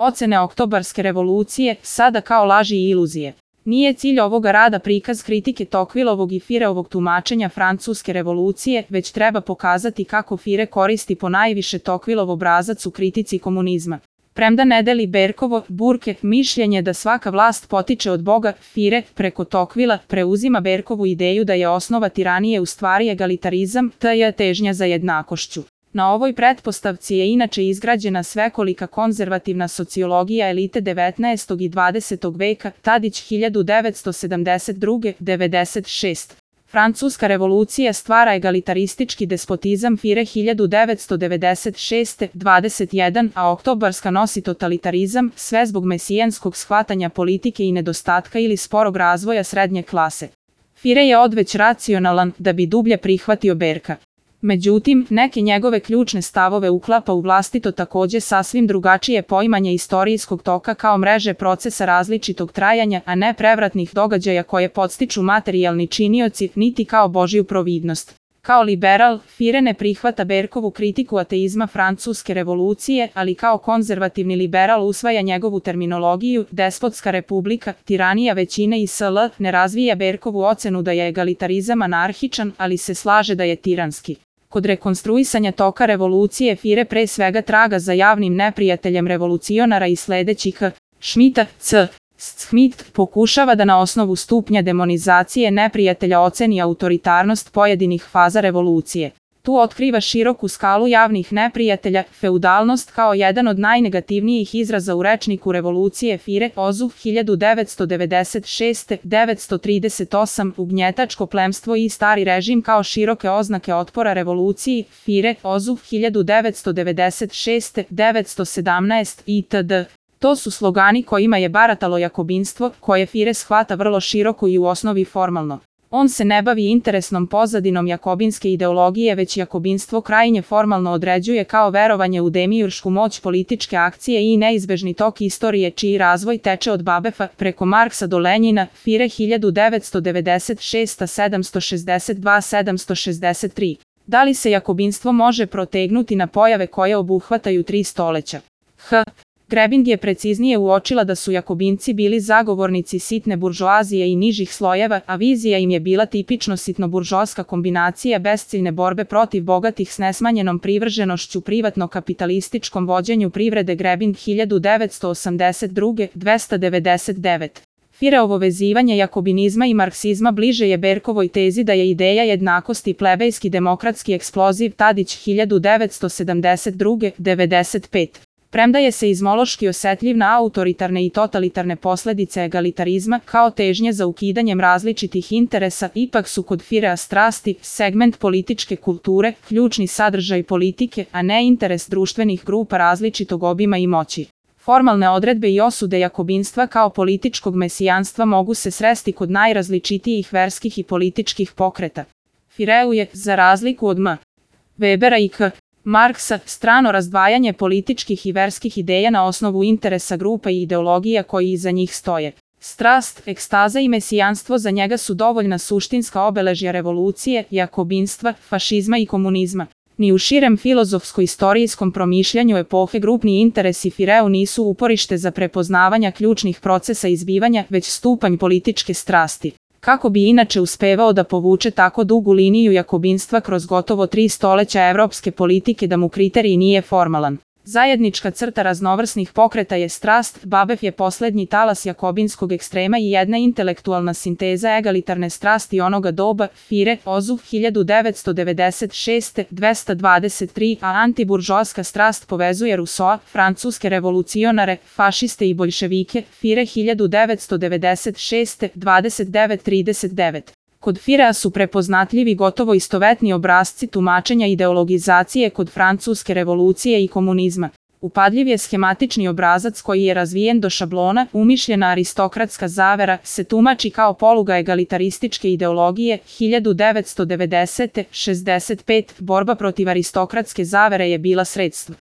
Ocene oktobarske revolucije, sada kao laži i iluzije. Nije cilj ovoga rada prikaz kritike Tocquevillovog i Fireovog tumačenja francuske revolucije, već treba pokazati kako Fire koristi ponajviše Tocquevillov obrazac u kritici komunizma. Premda ne deli Berkovo, Burke, mišljenje da svaka vlast potiče od Boga, Fire, preko Tocquevilla, preuzima Berkovu ideju da je osnova tiranije u stvari egalitarizam, t.j. težnja za jednakošću. Na ovoj pretpostavci je inače izgrađena svekolika konzervativna sociologija elite 19. i 20. veka, Tadić 1972-96. Francuska revolucija stvara egalitaristički despotizam, Fire 1996-21, a oktobarska nosi totalitarizam, sve zbog mesijanskog shvatanja politike i nedostatka ili sporog razvoja srednje klase. Fire je odveć racionalan da bi dublje prihvatio Berka. Međutim, neke njegove ključne stavove uklapa u vlastito takođe sasvim drugačije poimanje istorijskog toka kao mreže procesa različitog trajanja, a ne prevratnih događaja koje podstiču materijalni činioci, niti kao Božju providnost. Kao liberal, Fire ne prihvata Berkovu kritiku ateizma francuske revolucije, ali kao konzervativni liberal usvaja njegovu terminologiju, despotska republika, tiranija većine i sl. Ne razvija Berkovu ocenu da je egalitarizam anarhičan, ali se slaže da je tiranski. Kod rekonstruisanja toka revolucije Fire pre svega traga za javnim neprijateljem revolucionara i sledećih Schmidta, C. Schmidt pokušava da na osnovu stupnja demonizacije neprijatelja oceni autoritarnost pojedinih faza revolucije. Tu otkriva široku skalu javnih neprijatelja, feudalnost kao jedan od najnegativnijih izraza u rečniku revolucije Fire, Ozu 1996-938, ugnjetačko plemstvo i stari režim kao široke oznake otpora revoluciji, Fire, Ozu 1996-917 itd. To su slogani kojima je baratalo jakobinstvo, koje Fire shvata vrlo široko i u osnovi formalno. On se ne bavi interesnom pozadinom jakobinske ideologije, već jakobinstvo krajnje formalno određuje kao verovanje u demiuršku moć političke akcije i neizbežni tok istorije čiji razvoj teče od Babefa preko Marksa do Lenjina, Fire 1996-762-763. Da li se jakobinstvo može protegnuti na pojave koje obuhvataju 3 stoleća? Grebing je preciznije uočila da su jakobinci bili zagovornici sitne buržoazije i nižih slojeva, a vizija im je bila tipično sitno-buržoaska kombinacija besciljne borbe protiv bogatih s nesmanjenom privrženošću privatno-kapitalističkom vođenju privrede. Grebing 1982, 299. Fireovo vezivanje jakobinizma i marksizma bliže je Berkovoj tezi da je ideja jednakosti plebejski demokratski eksploziv. Tadić 1972, 95. Premda je seizmološki osetljiv na autoritarne i totalitarne posledice egalitarizma kao težnje za ukidanjem različitih interesa, ipak su kod Firea strasti, segment političke kulture, ključni sadržaj politike, a ne interes društvenih grupa različitog obima i moći. Formalne odredbe i osude jakobinstva kao političkog mesijanstva mogu se sresti kod najrazličitijih verskih i političkih pokreta. Fireu je, za razliku od M. Webera i K. Marksa, strano razdvajanje političkih i verskih ideja na osnovu interesa grupa i ideologija koji iza njih stoje. Strast, ekstaza i mesijanstvo za njega su dovoljna suštinska obeležja revolucije, jakobinstva, fašizma i komunizma. Ni u širem filozofsko-istorijskom promišljanju epohe grupni interesi Fireu nisu uporište za prepoznavanja ključnih procesa izbivanja, već stupanj političke strasti. Kako bi inače uspevao da povuče tako dugu liniju jakobinstva kroz gotovo 3 stoleća evropske politike da mu kriterij nije formalan? Zajednička crta raznovrsnih pokreta je strast, Babef je poslednji talas jakobinskog ekstrema i jedna intelektualna sinteza egalitarne strasti onoga doba, Fire, Ozu 1996, 223, a antiburžoaska strast povezuje Rousseau, francuske revolucionare, fašiste i boljševike, Fire 1996, 29-39. Kod Firea su prepoznatljivi gotovo istovetni obrasci tumačenja ideologizacije kod francuske revolucije i komunizma. Upadljiv je schematični obrazac koji je razvijen do šablona, umišljena aristokratska zavera, se tumači kao poluga egalitarističke ideologije, 1990. 65. Borba protiv aristokratske zavere je bila sredstvo.